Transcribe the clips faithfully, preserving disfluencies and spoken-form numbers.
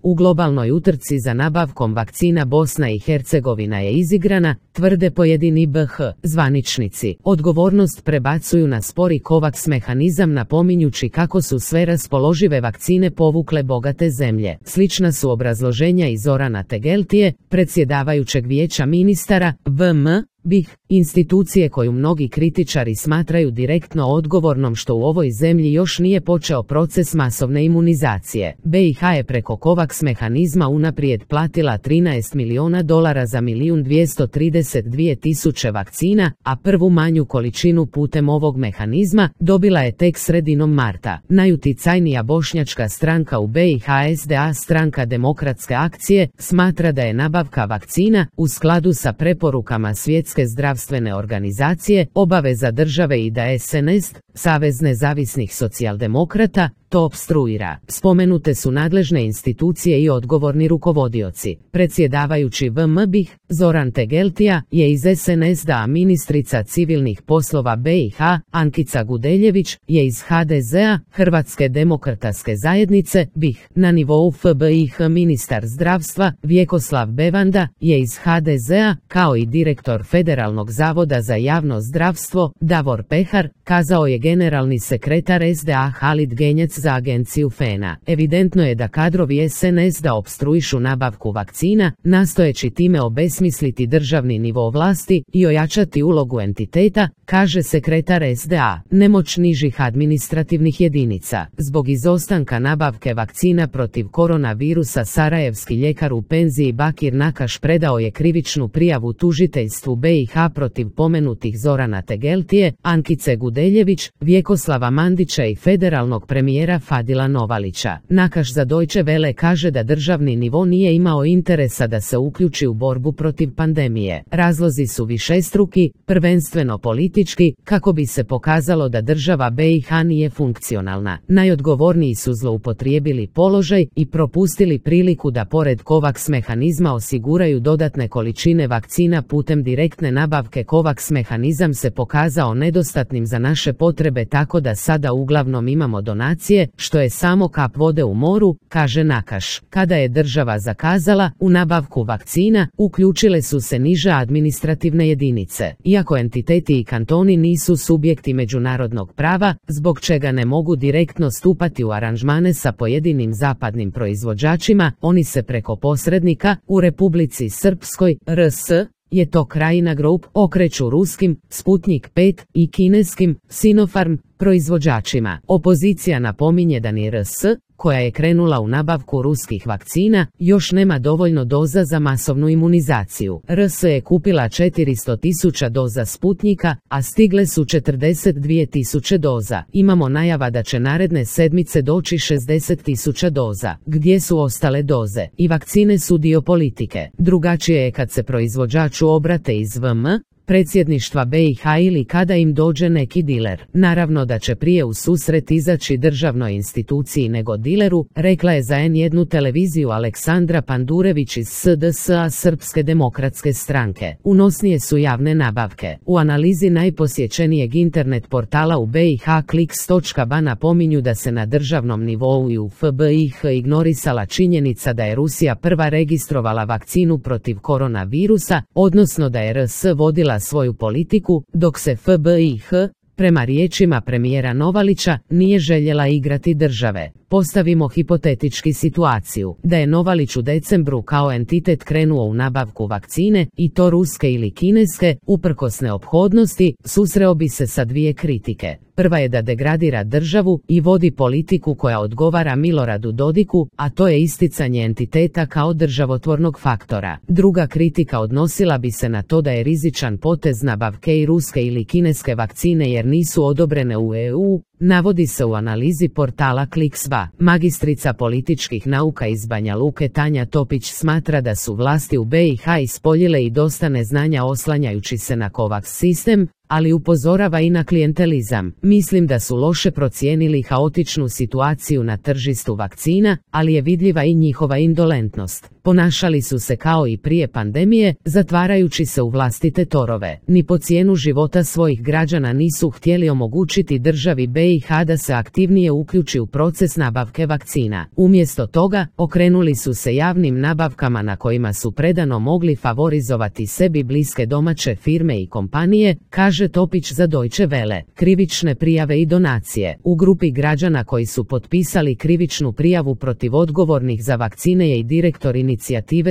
U globalnoj utrci za nabavkom vakcina Bosna i Hercegovina je izigrana, tvrde pojedini B H zvaničnici. Odgovornost prebacuju na spori COVAX mehanizam, napominjući kako su sve raspoložive vakcine povukle bogate zemlje. Slična su obrazloženja i Zorana Tegeltije, predsjedavajućeg vijeća ministara V M B I H, institucije koju mnogi kritičari smatraju direktno odgovornom što u ovoj zemlji još nije počeo proces masovne imunizacije. B i H je preko COVAX mehanizma unaprijed platila trinaest milijuna dolara za milijun dvjesto trideset dvije tisuće vakcina, a prvu manju količinu putem ovog mehanizma dobila je tek sredinom marta. Najuticajnija bošnjačka stranka u B i H, S D A, Stranka demokratske akcije, smatra da je nabavka vakcina u skladu sa preporukama Svjetske zdravstvene organizacije obaveza države i da S N S, Savez nezavisnih socijaldemokrata, to opstruira. Spomenute su nadležne institucije i odgovorni rukovodioci. Predsjedavajući V M B I H, Zoran Tegeltija, je iz S N S D A, ministrica civilnih poslova B i H, Ankica Gudeljević, je iz H D Z A, Hrvatske demokratske zajednice, B i H. Na nivou F B I H ministar zdravstva, Vjekoslav Bevanda, je iz H D Z A, kao i direktor Federalnog zavoda za javno zdravstvo, Davor Pehar, kazao je generalni sekretar S D A Halid Genjac za agenciju F E N A. Evidentno je da kadrovi S N S D A opstruišu nabavku vakcina, nastojeći time obesmisliti državni nivo vlasti i ojačati ulogu entiteta, kaže sekretar S D A. Nemoć nižih administrativnih jedinica. Zbog izostanka nabavke vakcina protiv koronavirusa, sarajevski ljekar u penziji Bakir Nakaš predao je krivičnu prijavu tužiteljstvu B i H protiv pomenutih Zorana Tegeltije, Ankice Gudeljević, Vjekoslava Mandića i federalnog premijera Fadila Novalića. Nakaš za Deutsche Welle kaže da državni nivo nije imao interesa da se uključi u borbu protiv pandemije. Razlozi su višestruki, prvenstveno politički, kako bi se pokazalo da država B i H nije funkcionalna. Najodgovorniji su zloupotrijebili položaj i propustili priliku da pored COVAX mehanizma osiguraju dodatne količine vakcina putem direktne nabavke. COVAX mehanizam se pokazao nedostatnim za naše potrebe, tako da sada uglavnom imamo donacije, što je samo kap vode u moru, kaže Nakaš. Kada je država zakazala u nabavku vakcina, uključile su se niže administrativne jedinice. Iako entiteti i kantoni nisu subjekti međunarodnog prava, zbog čega ne mogu direktno stupati u aranžmane sa pojedinim zapadnim proizvođačima, oni se preko posrednika u Republici Srpskoj, R S, je to Krajina Group, okreću ruskim, Sputnik pet i kineskim, Sinopharm, proizvođačima. Opozicija napominje da ni R S, koja je krenula u nabavku ruskih vakcina, još nema dovoljno doza za masovnu imunizaciju. R S je kupila četiristo tisuća doza Sputnika, a stigle su četrdeset dvije tisuće doza. Imamo najava da će naredne sedmice doći šezdeset tisuća doza. Gdje su ostale doze? I vakcine su dio politike. Drugačije je kad se proizvođaču obrate iz V M predsjedništva B i H ili kada im dođe neki diler. Naravno da će prije u susret izaći državnoj instituciji nego dileru, rekla je za N jedan televiziju Aleksandra Pandurević iz S D S A, Srpske demokratske stranke. Unosnije su javne nabavke. U analizi najposjećenijeg internet portala u B i H kliks točka ba napominju da se na državnom nivou i u F B I H ignorisala činjenica da je Rusija prva registrovala vakcinu protiv koronavirusa, odnosno da je R S vodila svoju politiku, dok se F B I H, prema riječima premijera Novalića, nije željela igrati države. Postavimo hipotetički situaciju da je Novalić u decembru kao entitet krenuo u nabavku vakcine, i to ruske ili kineske, uprkos neophodnosti, susreo bi se sa dvije kritike. Prva je da degradira državu i vodi politiku koja odgovara Miloradu Dodiku, a to je isticanje entiteta kao državotvornog faktora. Druga kritika odnosila bi se na to da je rizičan potez nabavke i ruske ili kineske vakcine jer nisu odobrene u E U, navodi se u analizi portala kliks.ba. Magistrica političkih nauka iz Banja Luke Tanja Topić smatra da su vlasti u B i H ispoljile i dosta neznanja oslanjajući se na COVAX sistem, ali upozorava i na klijentelizam. Mislim da su loše procijenili haotičnu situaciju na tržištu vakcina, ali je vidljiva i njihova indolentnost. Ponašali su se kao i prije pandemije, zatvarajući se u vlastite torove. Ni po cijenu života svojih građana nisu htjeli omogućiti državi B i H da se aktivnije uključi u proces nabavke vakcina. Umjesto toga, okrenuli su se javnim nabavkama na kojima su predano mogli favorizovati sebi bliske domaće firme i kompanije, kaže Topić za Deutsche Welle. Krivične prijave i donacije. U grupi građana koji su potpisali krivičnu prijavu protiv odgovornih za vakcine je i direktor inicijative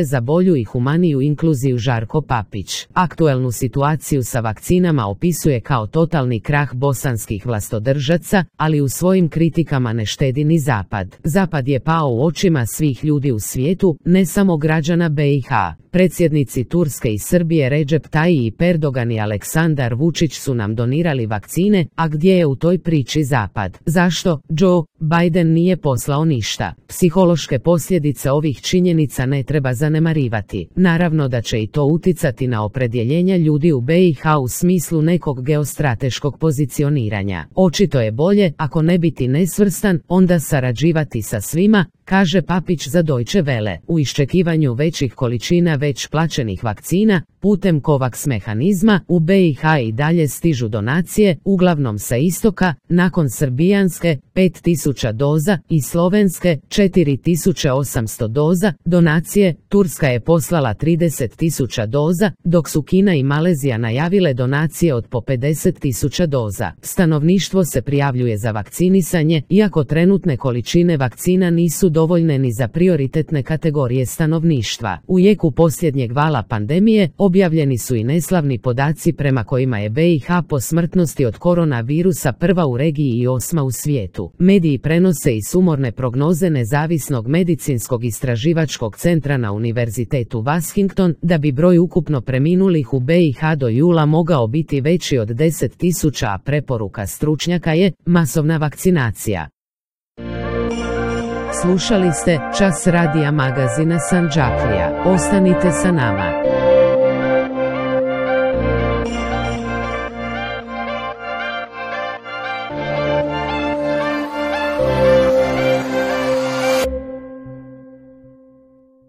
za bolju i humaniju inkluziju Žarko Papić. Aktuelnu situaciju sa vakcinama opisuje kao totalni krah bosanskih vlastodržaca, ali u svojim kritikama ne štedi ni Zapad. Zapad je pao u očima svih ljudi u svijetu, ne samo građana B i H. Predsjednici Turske i Srbije Recep Tayyip Erdogan i Aleksandar Vučić su nam donirali vakcine, a gdje je u toj priči Zapad? Zašto Joe Biden nije poslao ništa? Psihološke posljedice ovih činjenica ne treba zanemarivati. Naravno da će i to uticati na opredjeljenja ljudi u B i H u smislu nekog geostrateškog pozicioniranja. Očito je bolje, ako ne biti nesvrstan, onda sarađivati sa svima, kaže Papić za Deutsche Welle. U iščekivanju većih količina već plaćenih vakcina, putem COVAX mehanizma, u B i H i dalje stižu donacije, uglavnom sa istoka, nakon srbijanske, pet tisuća doza, i slovenske, četiri tisuće osamsto doza, donacije, Turska je poslala trideset tisuća doza, dok su Kina i Malezija najavile donacije od po pedeset tisuća doza. Stanovništvo se prijavljuje za vakcinisanje, iako trenutne količine vakcina nisu dovoljne ni za prioritetne kategorije stanovništva. U jeku posljednjeg vala pandemije, objavljeni su i neslavni podaci prema kojima je B i H po smrtnosti od koronavirusa prva u regiji i osma u svijetu. Mediji prenose i sumorne prognoze Nezavisnog medicinskog istraživačkog centra na Univerzitetu Washington, da bi broj ukupno preminulih u B i H do jula mogao biti veći od deset tisuća, a preporuka stručnjaka je masovna vakcinacija. Slušali ste Čas radija magazina Sandžaklija. Ostanite sa nama.